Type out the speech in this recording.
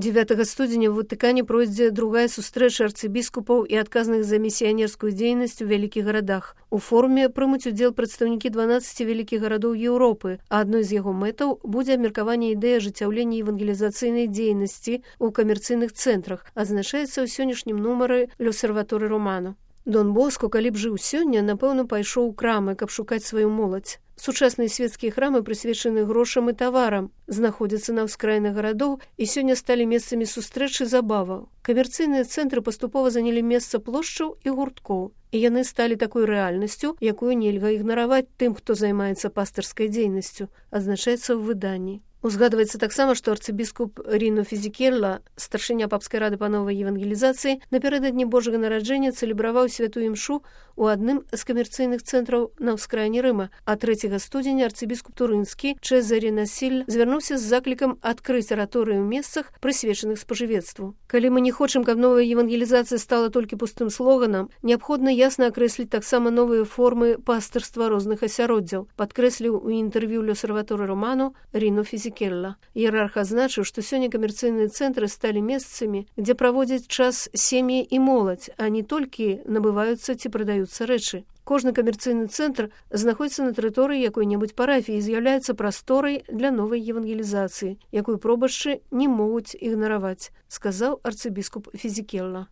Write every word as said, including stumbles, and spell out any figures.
дзевятага студзеня ў Ватыкане пройдзе другая сустрэча арцыбіскупаў і адказных за місіянерскую дзейнасць у вялікіх гарадах. У форуме прымуць удзел прадстаўнікі дванаццаці вялікіх гарадоў Еўропы, а адной з яго мэтаў будзе абмеркаванне ідэі ажыццяўлення евангелізацыйнай дзейнасці ў камерцыйных цэнтрах, адзначаецца ў сённяшнім нумары L'Osservatore Romano. Дон Боско, калі б жыў сёння, напэўна, пайшоў у крамы, каб шукаць сваю моладзь. Сучасныя свецкія храмы прысвечаны грошам і таварам, знаходзяцца на ўскраінах гарадоў і сёння сталі месцамі сустрэч і забаваў. Камерцыйныя цэнтры паступова занялі месца плошчаў і гурткоў, і яны сталі такой рэальнасцю, якую нельга ігнараваць тым, хто займаецца пастырскай дзейнасцю, адзначаецца ў выданні. Узгадваецца таксама, што арцыбіскуп Ріно Фізікелла, старшыня папскай рады па новай евангелізацыі, напярэдадні Божага нараджэння цэлебраваў святую імшу ў адным з камерцыйных цэнтраў на ўскраіне Рыма, а трэцяга студзеня арцыбіскуп Турынскі Чэзаре Насіль звярнуўся з заклікам адкрыць араторыі ў месцах, прысвечаных спажывецтву. Калі мы не хочам, каб новая евангелізацыя стала толькі пустым слоганам, неабходна ясна акрэсліць таксама новыя формы пастырства розных асяроддзяў, падкрэсліў у інтэрв'ю L'Osservatore Romano Ріно Фізікелла. Іерарх адзначыў, што сёння камерцыйныя цэнтры сталі месцамі, дзе праводзяць час сем'і і моладзь, а не толькі набываюцца ці прадаюцца рэчы. Кожны камерцыйны цэнтр знаходзіцца на тэрыторыі якой-небудзь парафіі і з'яўляецца прасторай для новай евангелізацыі, якую пробашчы не могуць ігнараваць, сказаў арцыбіскуп Фізікелла.